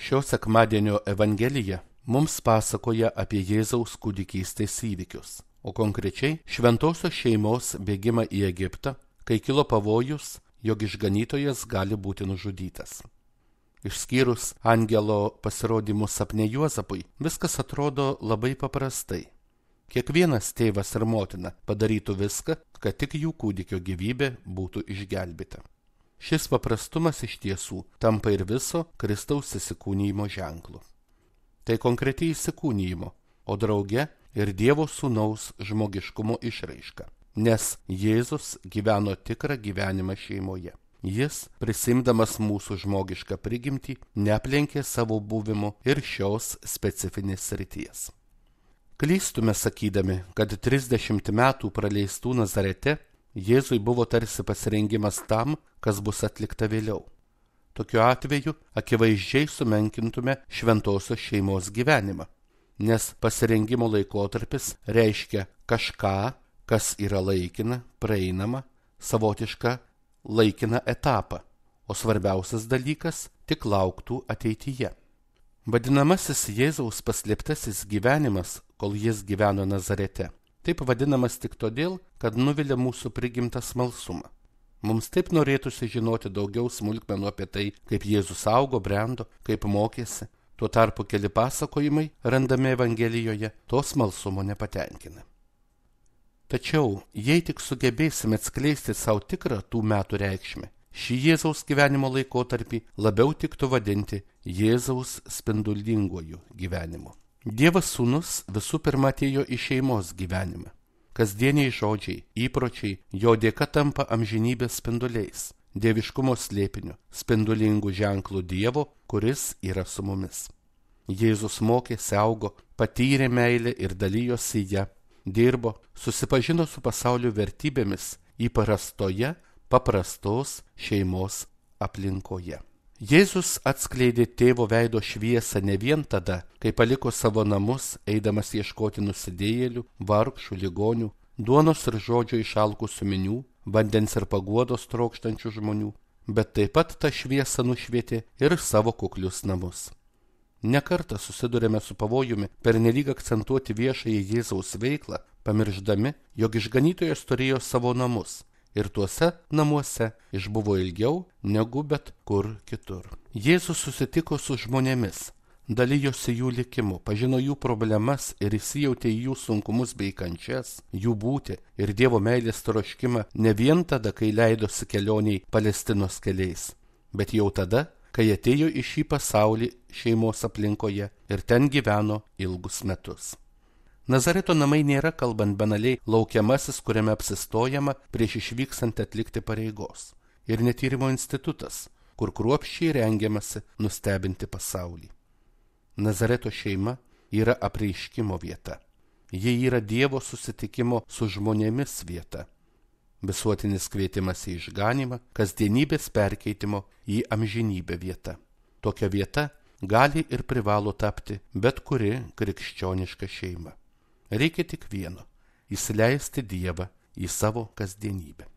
Šio sekmadienio Evangelija mums pasakoja apie Jėzaus kūdikystės įvykius, o konkrečiai šventosios šeimos bėgimą į Egiptą, kai kilo pavojus, jog išganytojas gali būti nužudytas. Išskyrus angelo pasirodymus sapne Juozapui, viskas atrodo labai paprastai. Kiekvienas tėvas ir motina padarytų viską, kad tik jų kūdikio gyvybė būtų išgelbėta. Šis paprastumas iš tiesų tampa ir viso Kristaus įsikūnijimo ženklu. Tai konkretiai įsikūnijimo, o drauge ir Dievo Sūnaus žmogiškumo išraiška, nes Jėzus gyveno tikrą gyvenimą šeimoje. Jis, prisimdamas mūsų žmogišką prigimtį, neaplenkė savo buvimu ir šios specifinės srities. Klystume sakydami, kad 30 metų praleistų Nazarete Jėzui buvo tarsi pasirengimas tam, kas bus atlikta vėliau. Tokiu atveju akivaizdžiai sumenkintume šventosios šeimos gyvenimą, nes pasirengimo laikotarpis reiškia kažką, kas yra laikina, praeinama, savotišką laikiną etapą, o svarbiausias dalykas tik lauktų ateityje. Vadinamasis Jėzaus paslėptasis gyvenimas, kol jis gyveno Nazarete, taip vadinamas tik todėl, kad nuvilia mūsų prigimtą smalsumą. Mums taip norėtųsi žinoti daugiau smulkmenų apie tai, kaip Jėzus augo, brendo, kaip mokėsi. Tuo tarpu keli pasakojimai, randami Evangelijoje, to smalsumo nepatenkina. Tačiau, jei tik sugebėsime atskleisti savo tikrą tų metų reikšmę, šį Jėzaus gyvenimo laikotarpį labiau tiktų vadinti Jėzaus spindulinguoju gyvenimu. Dievas Sūnus visų pirma atėjo į šeimos gyvenimą. Kasdieniai žodžiai, įpročiai jo dėka tampa amžinybės spinduliais, dieviškumo slėpiniu, spindulingų ženklų Dievo, kuris yra su mumis. Jėzus mokėsi, augo, patyrė meilę ir dalijosi ją, dirbo, susipažino su pasaulio vertybėmis įprastoje, paprastos šeimos aplinkoje. Jėzus atskleidė tėvo veido šviesą ne vien tada, kai paliko savo namus, eidamas ieškoti nusidėjėlių, vargšų, ligonių, duonos ir žodžio išalkusių minių, vandens ir paguodos trokštančių žmonių, bet taip pat tą šviesą nušvietė ir savo kuklius namus. Nekartą susidurėme su pavojumi pernelyg akcentuoti viešąją Jėzaus veiklą, pamirždami, jog išganytojas turėjo savo namus. Ir tuose namuose išbuvo ilgiau negu bet kur kitur. Jėzus susitiko su žmonėmis, dalijosi jų likimu, pažino jų problemas ir įsijautė į jų sunkumus bei kančias, jų būtį ir Dievo meilės troškimą ne vien tada, kai leidosi kelioniai Palestinos keliais, bet jau tada, kai atėjo į šį pasaulį šeimos aplinkoje ir ten gyveno ilgus metus. Nazareto namai nėra, kalbant banaliai, laukiamasis, kuriame apsistojama prieš išvykstant atlikti pareigos. Ir netyrimo institutas, kur kruopščiai rengiamasi nustebinti pasaulį. Nazareto šeima yra apreiškimo vieta. Ji yra Dievo susitikimo su žmonėmis vieta. Visuotinis kvietimas į išganymą, kasdienybės perkeitimo į amžinybę vieta. Tokia vieta gali ir privalo tapti bet kuri krikščioniška šeima. Reikia tik vieno – įsileisti Dievą į savo kasdienybę.